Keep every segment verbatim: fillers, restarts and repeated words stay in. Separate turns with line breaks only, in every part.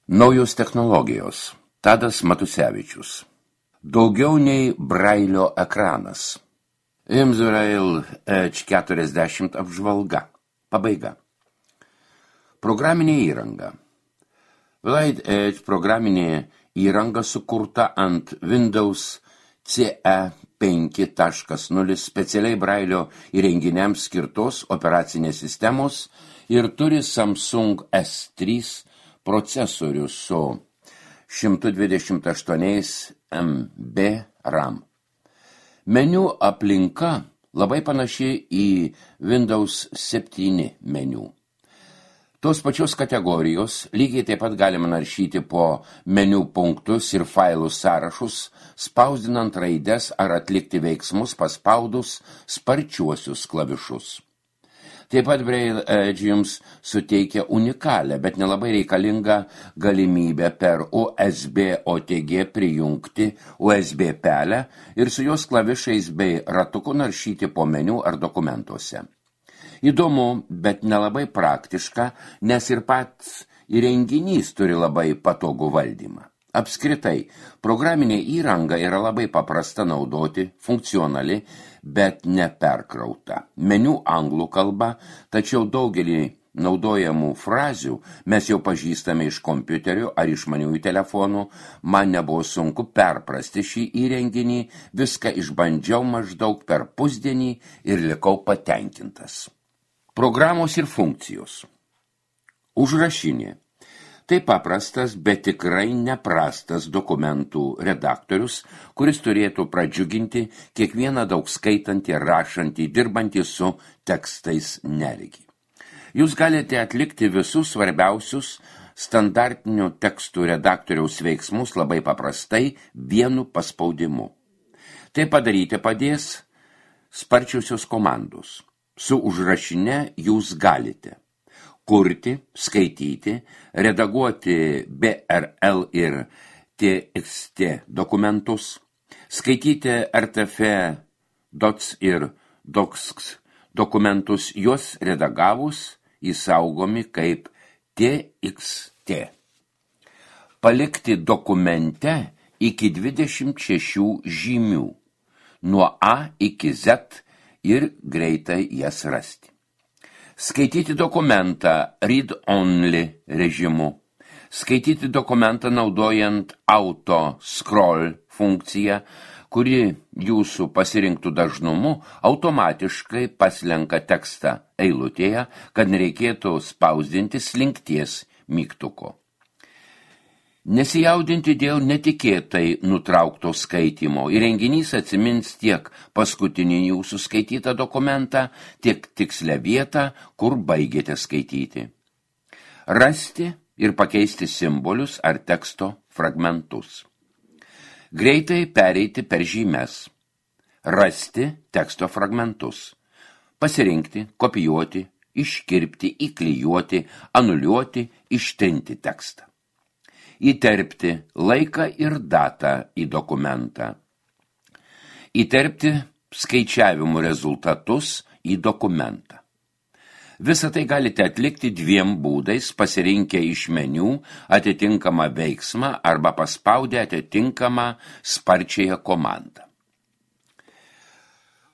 Naujos technologijos. Tadas Matusevičius. Daugiau nei brailio ekranas. Imzrail Edge keturiasdešimt apžvalga. Pabaiga. Programinė įranga. Light Edge programinė įranga sukurta ant Windows C E penki taškas nulis specialiai brailio įrenginiams skirtos operacinės sistemos ir turi Samsung S trys procesorių su šimtas dvidešimt aštuoni megabaito RAM. Meniu aplinka labai panaši į Windows septyni meniu. Tos pačios kategorijos lygiai taip pat galima naršyti po meniu punktus ir failų sąrašus, spausdinant raides ar atlikti veiksmus paspaudus sparčiuosius klavišus. Taip pat Braille Edge jums suteikia unikalią, bet nelabai reikalingą galimybę per U S B O T G prijungti U S B pelę ir su jos klavišais bei ratuku naršyti po meniu ar dokumentuose. Įdomu, bet nelabai praktiška, nes ir pats įrenginys turi labai patogų valdymą. Apskritai, programinė įranga yra labai paprasta naudoti, funkcionali, bet neperkrauta. Meniu anglų kalba, tačiau daugelį naudojamų frazių mes jau pažįstame iš kompiuterių ar išmaniųjų telefonų. Man nebuvo sunku perprasti šį įrenginį, viską išbandžiau maždaug per pusdienį ir likau patenkintas. Programos ir funkcijos. Užrašinė. Tai paprastas, bet tikrai neprastas dokumentų redaktorius, kuris turėtų pradžiuginti kiekvieną daug skaitantį, rašantį, dirbantį su tekstais neregį. Jūs galite atlikti visus svarbiausius standartinių tekstų redaktoriaus veiksmus labai paprastai vienu paspaudimu. Tai padaryti padės sparčiusios komandos. Su užrašine jūs galite kurti, skaityti, redaguoti B R L ir T X T dokumentus, skaityti R T F, dots ir docs dokumentus, juos redagavus įsaugomi kaip T X T. Palikti dokumente iki dvidešimt šešių žymių, nuo A iki Z ir greitai jas rasti. Skaityti dokumentą read-only režimu. Skaityti dokumentą naudojant auto-scroll funkciją, kuri jūsų pasirinktų dažnumu automatiškai paslenka tekstą eilutėje, kad nereikėtų spausdinti slinkties mygtuko. Nesijaudinti dėl netikėtai nutraukto skaitymo. Įrenginys atsimins tiek paskutinį jūsų skaitytą dokumentą, tiek tikslę vietą, kur baigėte skaityti. Rasti ir pakeisti simbolius ar teksto fragmentus. Greitai pereiti per žymes. Rasti teksto fragmentus. Pasirinkti, kopijuoti, iškirpti, įklijuoti, anuliuoti, ištrinti tekstą. Įterpti laiką ir datą į dokumentą. Įterpti skaičiavimų rezultatus į dokumentą. Visą tai galite atlikti dviem būdais, pasirinkę iš meniu atitinkamą veiksmą arba paspaudę atitinkamą sparčiąją komandą.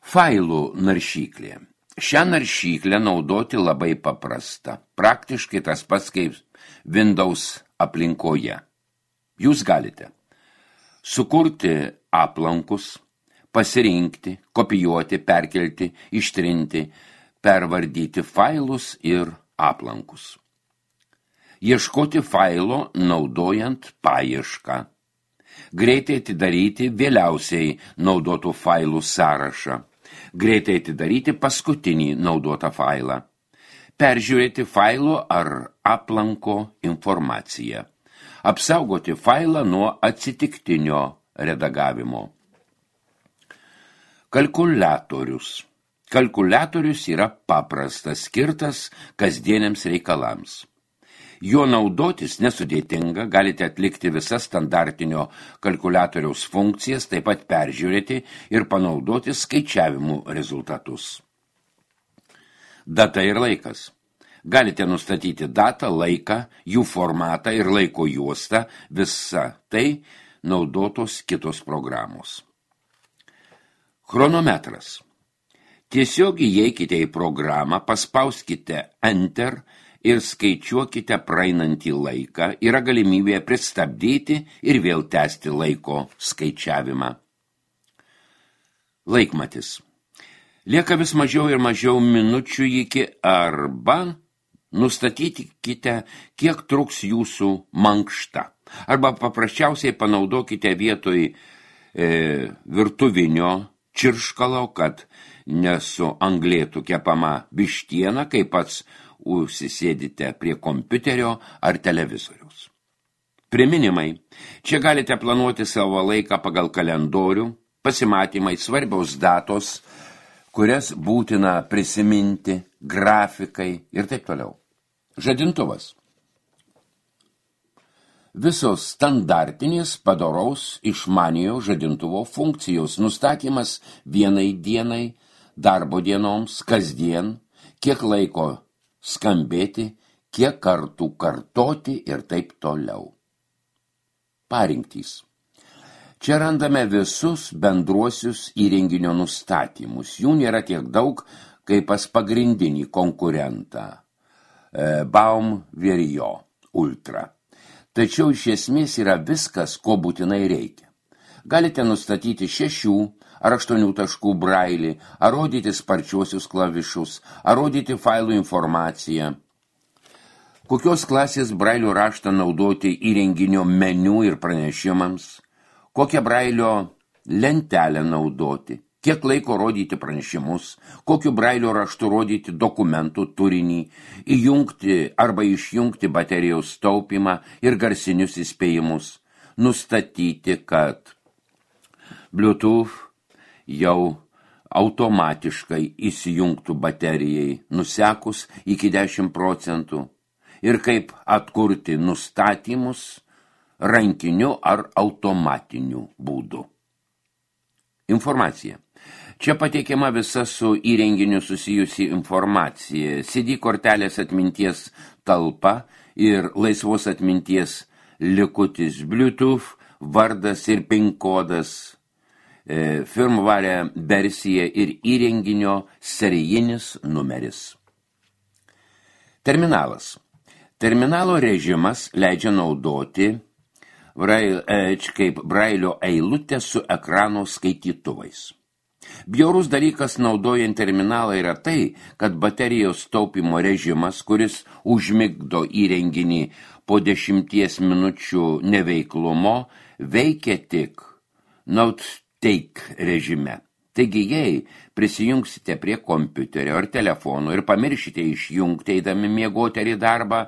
Failų naršyklė. Šią naršyklę naudoti labai paprasta. Praktiškai tas pats kaip Windows aplinkoje. Jūs galite sukurti aplankus, pasirinkti, kopijuoti, perkelti, ištrinti, pervardyti failus ir aplankus. Ieškoti failo naudojant paiešką. Greitai atidaryti vėliausiai naudotų failų sąrašą. Greitai atidaryti paskutinį naudotą failą. Peržiūrėti failo ar aplanko informaciją. Apsaugoti failą nuo atsitiktinio redagavimo. Kalkuliatorius. Kalkuliatorius yra paprastas, skirtas kasdieniams reikalams. Jo naudotis nesudėtinga, galite atlikti visas standartinio kalkuliatoriaus funkcijas, taip pat peržiūrėti ir panaudoti skaičiavimų rezultatus. Data ir laikas. Galite nustatyti datą, laiką, jų formatą ir laiko juostą, visa tai naudotos kitos programos. Chronometras. Tiesiog įeikite į programą, paspauskite Enter ir skaičiuokite praeinantį laiką. Yra galimybė pristabdyti ir vėl tęsti laiko skaičiavimą. Laikmatis. Lieka vis mažiau ir mažiau minučių iki arba nustatykite, kiek truks jūsų mankšta. Arba paprasčiausiai panaudokite vietoj e, virtuvinio čirškalo, kad nesuanglėtų kepama vištiena, kai pats užsisėdite prie kompiuterio ar televizoriaus. Priminimai. Čia galite planuoti savo laiką pagal kalendorių, pasimatymai, svarbiaus datos, kurias būtina prisiminti, grafikai ir taip toliau. Žadintuvas. Visos standartinės padoraus išmaniojo žadintuvo funkcijos nustatymas vienai dienai, darbo dienoms, kasdien, kiek laiko skambėti, kiek kartų kartoti ir taip toliau. Parinktys. Čia randame visus bendruosius įrenginio nustatymus. Jų nėra tiek daug, kaip pas pagrindinį konkurentą e, Baum Verio Ultra. Tačiau iš esmės yra viskas, ko būtinai reikia. Galite nustatyti šešių ar aštuonių taškų brailį, ar rodyti sparčiuosius klavišus, ar rodyti failų informaciją. Kokios klasės brailio raštą naudoti įrenginio meniu ir pranešimams, kokią brailio lentelę naudoti, kiek laiko rodyti pranešimus, kokiu brailio raštu rodyti dokumentų turinį, įjungti arba išjungti baterijos taupymą ir garsinius įspėjimus, nustatyti, kad Bluetooth jau automatiškai įsijungtų baterijai nusekus iki dešimt procentų ir kaip atkurti nustatymus rankiniu ar automatiniu būdu. Informacija. Čia pateikiama visa su įrenginiu susijusi informacija, C D kortelės atminties talpa ir laisvos atminties likutis, Bluetooth, vardas ir PIN kodas, e, firmware versija ir įrenginio serijinis numeris. Terminalas. Terminalo režimas leidžia naudoti Braille Edge kaip brailio eilutę su ekrano skaitytuvais. Bjaurus dalykas naudojant terminalą yra tai, kad baterijos taupimo režimas, kuris užmigdo įrenginį po dešimties minučių neveiklumo, veikia tik Note Take režime. Taigi, jei prisijungsite prie kompiuterio ar telefono ir pamiršite išjungti eidami miegoti ar į darbą,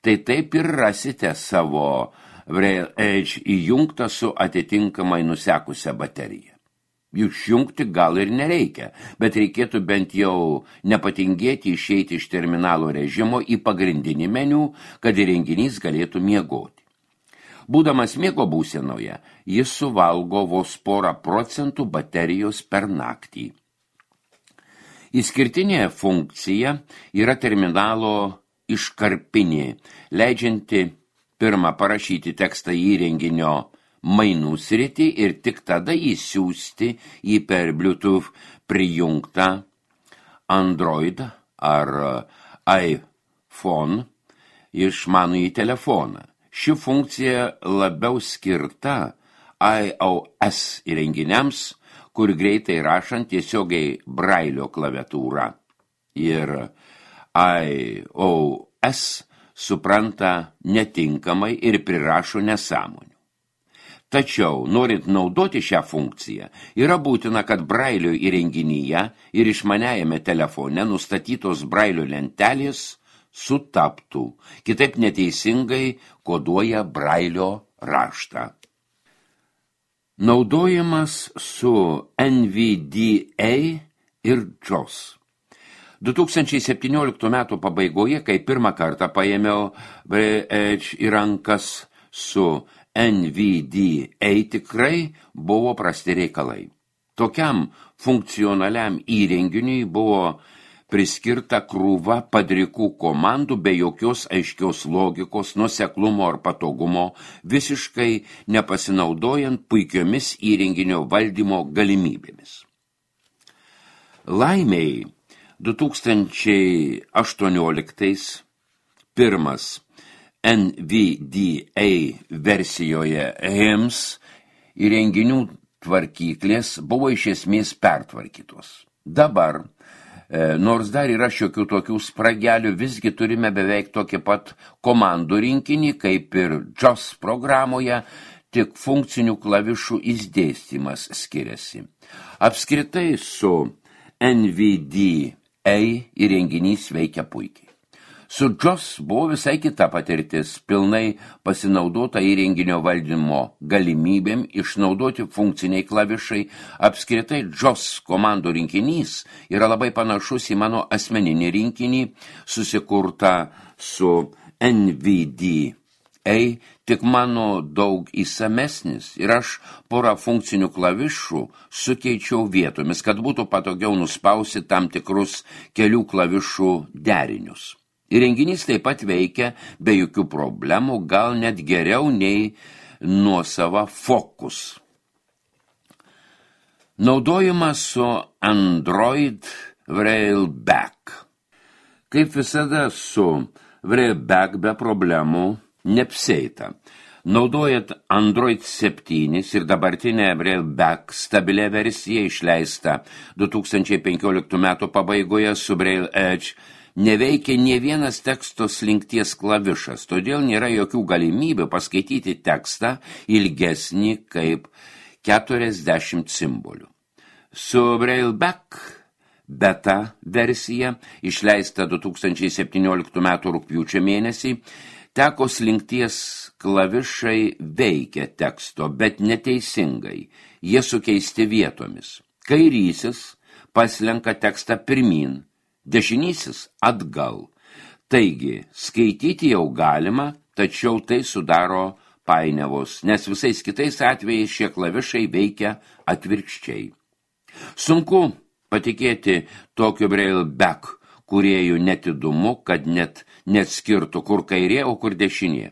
tai taip ir rasite savo Braille Edge įjungtą su atitinkamai nusekusią bateriją. Išjungti gal ir nereikia, bet reikėtų bent jau nepatingėti išeiti iš terminalo režimo į pagrindinį meniu, kad įrenginys galėtų miegoti. Būdamas miego būsenoje, jis suvalgo vos porą procentų baterijos per naktį. Išskirtinė funkcija yra terminalo iškarpinė, leidžianti pirmą parašyti tekstą įrenginio mainų sritį ir tik tada įsiųsti į per Bluetooth prijungtą Android ar iPhone išmanųjį telefoną. Ši funkcija labiau skirta iOS įrenginiams, kur greitai rašant tiesiogiai brailio klaviatūrą. Ir iOS supranta netinkamai ir prirašo nesąmonių. Tačiau, norint naudoti šią funkciją, yra būtina, kad brailio įrenginyje ir išmaniajame telefone nustatytos brailio lentelės sutaptų, kitaip neteisingai koduoja brailio raštą. Naudojimas su N V D A ir J O S. du tūkstančiai septynioliktų metų pabaigoje, kai pirmą kartą paėmiau Edge į rankas su N V D A, tikrai buvo prasti reikalai. Tokiam funkcionaliam įrenginiui buvo priskirta krūva padrikų komandų be jokios aiškios logikos, nuoseklumo ar patogumo, visiškai nepasinaudojant puikiomis įrenginio valdymo galimybėmis. Laimiai du tūkstančiai aštuonioliktais pirmas N V D A versijoje H I M S įrenginių tvarkyklės buvo iš esmės pertvarkytos. Dabar, nors dar yra šiokių tokių spragelių, visgi turime beveik tokį pat komandų rinkinį, kaip ir J O S programoje, tik funkcinių klavišų išdėstymas skiriasi. Apskritai su N V D A įrenginys veikia puikiai. Su J O S buvo visai kita patirtis, pilnai pasinaudota įrenginio valdymo galimybėm, išnaudoti funkciniai klavišai. Apskritai J O S komandų rinkinys yra labai panašus į mano asmeninį rinkinį, susikurtą su N V D A, tik mano daug įsamesnis ir aš porą funkcinių klavišų sukeičiau vietomis, kad būtų patogiau nuspausti tam tikrus kelių klavišų derinius. Įrenginys taip pat veikia be jokių problemų, gal net geriau nei nuosava Focus. Naudojimas su Android Railback. Kaip visada su Railback be problemų neapsieita. Naudojant Android septyni ir dabartinę Railback stabilią versiją išleistą du tūkstančiai penkioliktų metų pabaigoje su Braille Edge, neveikia nė vienas teksto slinkties klavišas, todėl nėra jokių galimybių paskaityti tekstą ilgesnį kaip keturiasdešimt simbolių. Su Railback beta versija, išleista du tūkstančiai septynioliktų metų rugpjūčio mėnesį, teko slinkties klavišai veikia teksto, bet neteisingai, jie sukeisti vietomis. Kairysis paslenka tekstą pirmin, dešinysis atgal. Taigi, skaityti jau galima, tačiau tai sudaro painiavos, nes visais kitais atvejais šie klavišai veikia atvirkščiai. Sunku patikėti tokio Railback kūrėjų netidumu, kad net neatskirtų, kur kairė, o kur dešinė.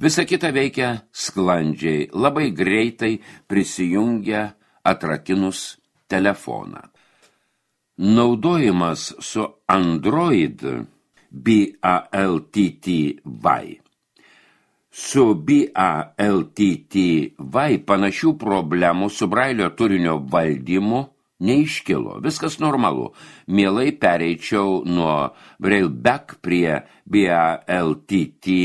Visa kita veikia sklandžiai, labai greitai prisijungia atrakinus telefoną. Naudojimas su Android B A L T T Y. Su B A L T T Y panašių problemų su Brailio turinio valdymu neiškilo. Viskas normalu. Mielai pereičiau nuo Railback prie B A L T T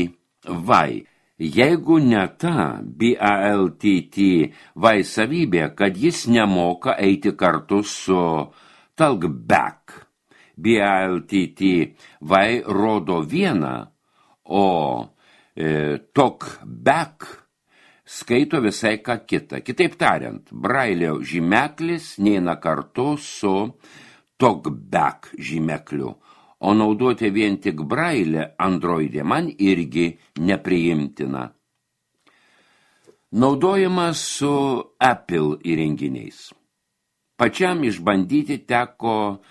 Y. Jeigu ne ta B A L T T Y savybė, kad jis nemoka eiti kartu su Talkback. B A L T T Y rodo vieną, o e, Talkback skaito visai ką kitą. Kitaip tariant, Brailio žymeklis neina kartu su Talkback žymekliu, o naudoti vien tik Brailę Androidė man irgi nepriimtina. Naudojimas su Apple įrenginiais. Pačiam išbandyti teko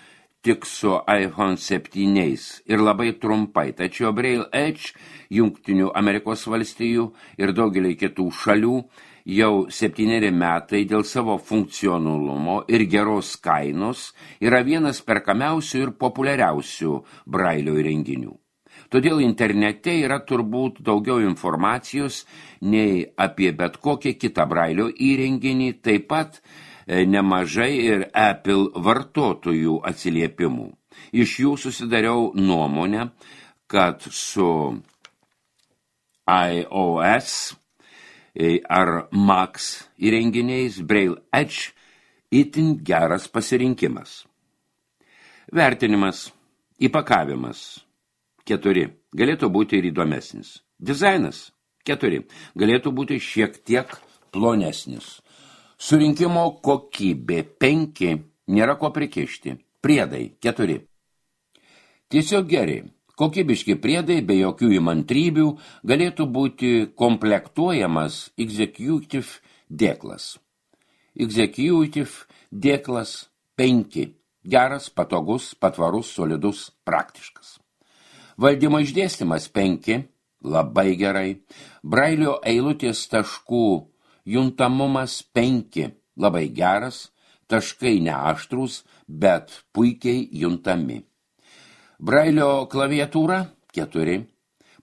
tik su iPhone septyniais ir labai trumpai, tačiau Braille Edge Jungtinių Amerikos valstijų ir daugelį kitų šalių jau septyneri metai dėl savo funkcionalumo ir geros kainos yra vienas perkamiausių ir populiariausių Brailio įrenginių. Todėl internete yra turbūt daugiau informacijos nei apie bet kokį kitą Brailio įrenginį, taip pat nemažai ir Apple vartotojų atsiliepimų. Iš jų susidariau nuomonę, kad su iOS ar Mac įrenginiais Braille Edge itin geras pasirinkimas. Vertinimas, įpakavimas keturi, galėtų būti ir įdomesnis. Dizainas keturi, galėtų būti šiek tiek plonesnis. Surinkimo kokybė penki, nėra ko prikišti. Priedai keturi. Tiesiog geri, kokybiški priedai be jokių įmantrybių galėtų būti komplektuojamas Executive dėklas. Executive dėklas penki. Geras, patogus, patvarus, solidus, praktiškas. Valdymo išdėstymas penki, labai gerai. Brailio eilutės taškų juntamumas penki, labai geras. Taškai neaštrūs, bet puikiai juntami. Brailio klaviatūra keturi,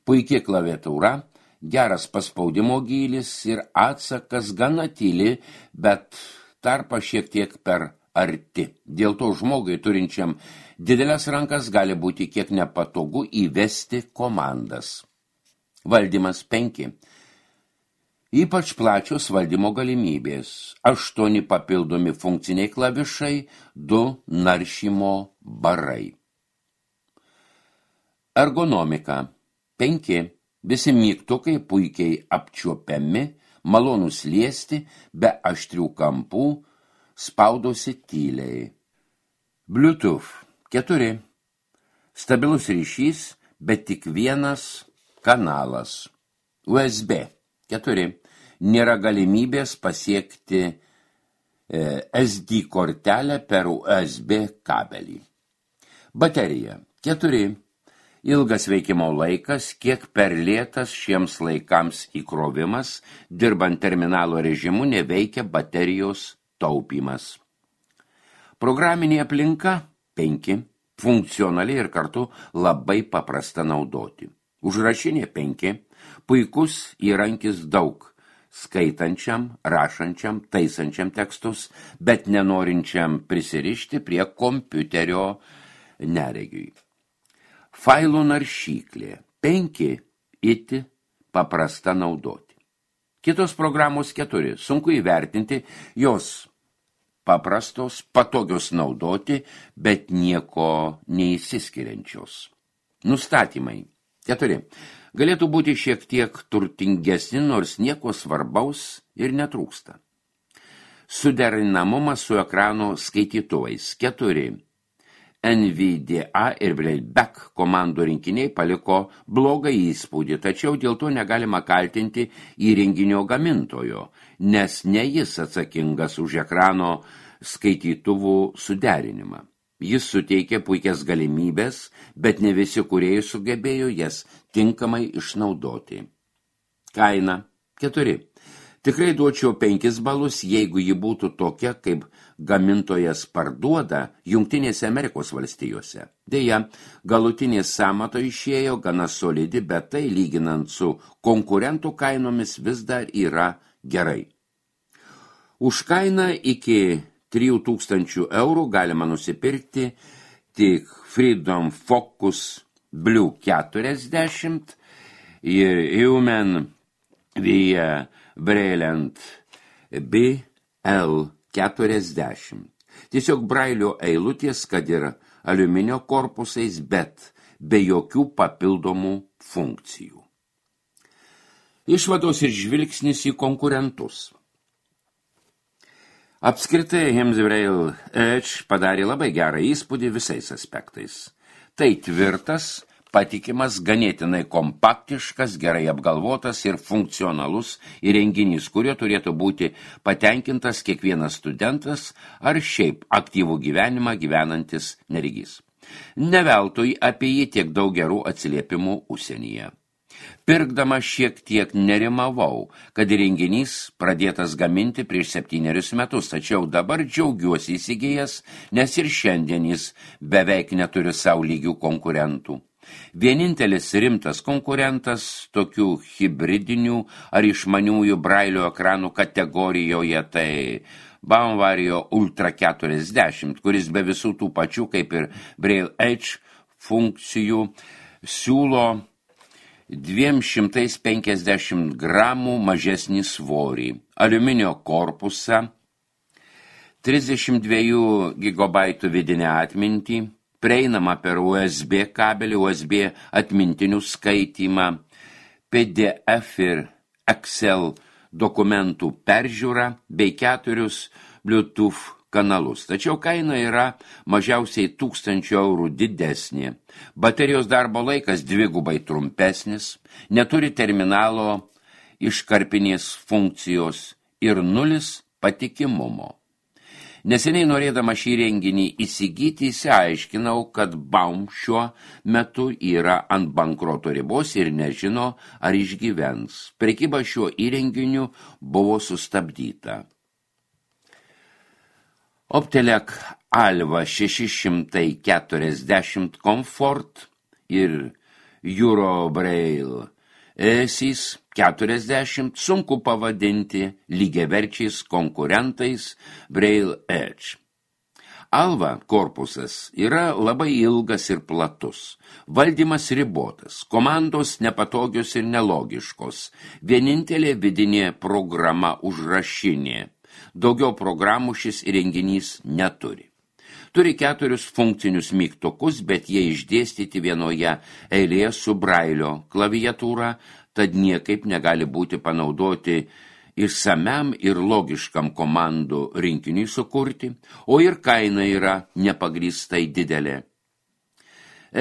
puikiai klaviatūra, geras paspaudimo gylis ir atsakas gana tyli, bet tarpa šiek tiek per arti. Dėl to žmogui turinčiam didelės rankas gali būti kiek nepatogu įvesti komandas. Valdymas penki. Ypač plačios valdymo galimybės. Aštuoni papildomi funkciniai klavišai, du naršymo barai. Ergonomika. Penki. Visi mygtukai puikiai apčiuopiami, malonūs liesti, be aštrių kampų, spaudosi tyliai. Bluetooth. Keturi. Stabilus ryšys, bet tik vienas kanalas. U S B. Keturi. Nėra galimybės pasiekti e, S D kortelę per U S B kabelį. Baterija. Keturi. Ilgas veikimo laikas, kiek per lėtas šiems laikams įkrovimas, dirbant terminalo režimu neveikia baterijos taupymas. Programinė aplinka. Penki. Funkcionali ir kartu labai paprasta naudoti. Užrašinė. Penki. Puikus įrankis daug. Skaitančiam, rašančiam, taisančiam tekstus, bet nenorinčiam prisirišti prie kompiuterio neregiui. Failų naršyklė. Penki. Iti paprasta naudoti. Kitos programos keturi. Sunku įvertinti, jos paprastos, patogios naudoti, bet nieko neįsiskiriančios. Nustatymai. Keturi. Galėtų būti šiek tiek turtingesni, nors nieko svarbaus ir netrūksta. Suderinamumas su ekrano skaitytuvais. Keturi. N V D A ir Brailleback komandų rinkiniai paliko blogą įspūdį, tačiau dėl to negalima kaltinti įrenginio gamintojo, nes ne jis atsakingas už ekrano skaitytuvų suderinimą. Jis suteikė puikias galimybės, bet ne visi kūrėjai sugebėjo jas tinkamai išnaudoti. Kaina. Keturi. Tikrai duočiau penkis balus, jeigu ji būtų tokia, kaip gamintojas parduoda Jungtinėse Amerikos valstijose. Deja, galutinė sąmata išėjo gana solidi, bet tai lyginant su konkurentų kainomis vis dar yra gerai. Už kainą iki trijų tūkstančių eurų galima nusipirkti tik Freedom Focus Blue keturiasdešimt ir Human via Brilliant B L keturiasdešimt. Tiesiog Brailio eilutės, kad ir aliuminio korpusais, bet be jokių papildomų funkcijų. Išvados ir žvilgsnis į konkurentus. Apskritai, Hims Braille Edge padarė labai gerą įspūdį visais aspektais. Tai tvirtas, patikimas, ganėtinai kompaktiškas, gerai apgalvotas ir funkcionalus įrenginys, kurio turėtų būti patenkintas kiekvienas studentas ar šiaip aktyvų gyvenimą gyvenantis neregys. Ne veltui apie jį tiek daug gerų atsiliepimų užsienyje. Pirkdama šiek tiek nerimavau, kad įrenginys pradėtas gaminti prieš septynerius metus, tačiau dabar džiaugiuosi įsigijęs, nes ir šiandien jis beveik neturi savo lygių konkurentų. Vienintelis rimtas konkurentas tokių hibridinių ar išmaniųjų Brailio ekranų kategorijoje tai Bauvario Ultra keturiasdešimt, kuris be visų tų pačių kaip ir Braille Edge funkcijų siūlo dviem šimtais penkiasdešimt gramų mažesnį svorį, aliuminio korpusą, trisdešimt dviejų gigabaitų vidinę atmintį, prieinama per U S B kabelį, U S B atmintinių skaitymą, P D F ir Excel dokumentų peržiūrą bei keturius Bluetooth kanalus. Tačiau kaina yra mažiausiai tūkstančio eurų didesnė. Baterijos darbo laikas dvigubai trumpesnis, neturi terminalo iškarpinės funkcijos ir nulis patikimumo. Neseniai norėdama šį renginį įsigyti, įsiaiškinau, kad Baum šiuo metu yra ant bankroto ribos ir nežino, ar išgyvens. Prekyba šiuo įrenginiu buvo sustabdyta. Optelec Alva šeši šimtai keturiasdešimt Comfort ir Eurobraille Esys keturiasdešimt sunku pavadinti lygiaverčiais konkurentais Braille Edge. Alva korpusas yra labai ilgas ir platus, valdymas ribotas, komandos nepatogios ir nelogiškos, vienintelė vidinė programa užrašinė, daugiau programų šis įrenginys neturi. Turi keturius funkcinius mygtukus, bet jie išdėstyti vienoje eilėje su Brailio klaviatūra, tad niekaip negali būti panaudoti išsamiam ir logiškam komandų rinkiniui sukurti, o ir kaina yra nepagrįstai didelė.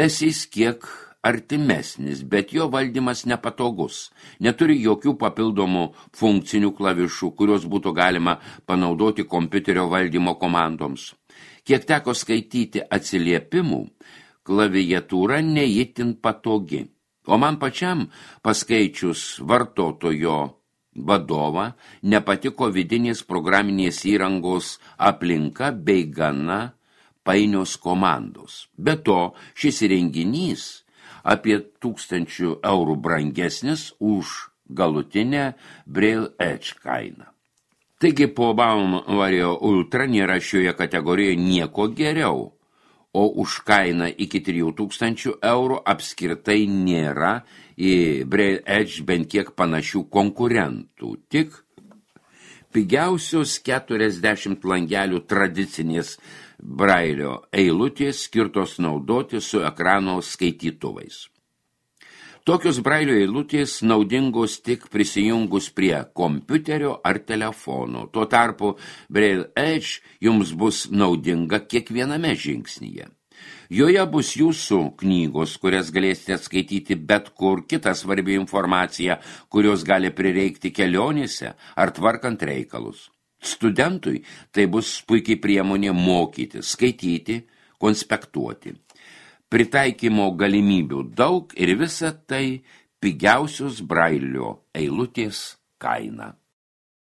Esys kiek artimesnis, bet jo valdymas nepatogus, neturi jokių papildomų funkcinių klavišų, kurios būtų galima panaudoti kompiuterio valdymo komandoms. Kiek teko skaityti atsiliepimų, klaviatūra neįtin patogi, o man pačiam paskaičius vartotojo vadovą nepatiko vidinės programinės įrangos aplinka bei gana painios komandos. Be to, šis įrenginys apie tūkstančių eurų brangesnis už galutinę Braille Edge kainą. Taigi po Baum Vario Ultra nėra šioje kategorijoje nieko geriau, o už kainą iki trijų tūkstančių eurų apskritai nėra į Braille Edge bent kiek panašių konkurentų. Tik pigiausios keturiasdešimt langelių tradicinės Brailio eilutės skirtos naudoti su ekrano skaitytuvais. Tokios Brailio eilutės naudingos tik prisijungus prie kompiuterio ar telefono. Tuo tarpu Braille Edge jums bus naudinga kiekviename žingsnyje. Joje bus jūsų knygos, kurias galėsite skaityti bet kur, kita svarbi informacija, kurios gali prireikti kelionėse ar tvarkant reikalus. Studentui tai bus puikiai priemonė mokyti, skaityti, konspektuoti. Pritaikymo galimybių daug ir visa tai pigiausios Brailio eilutės kaina.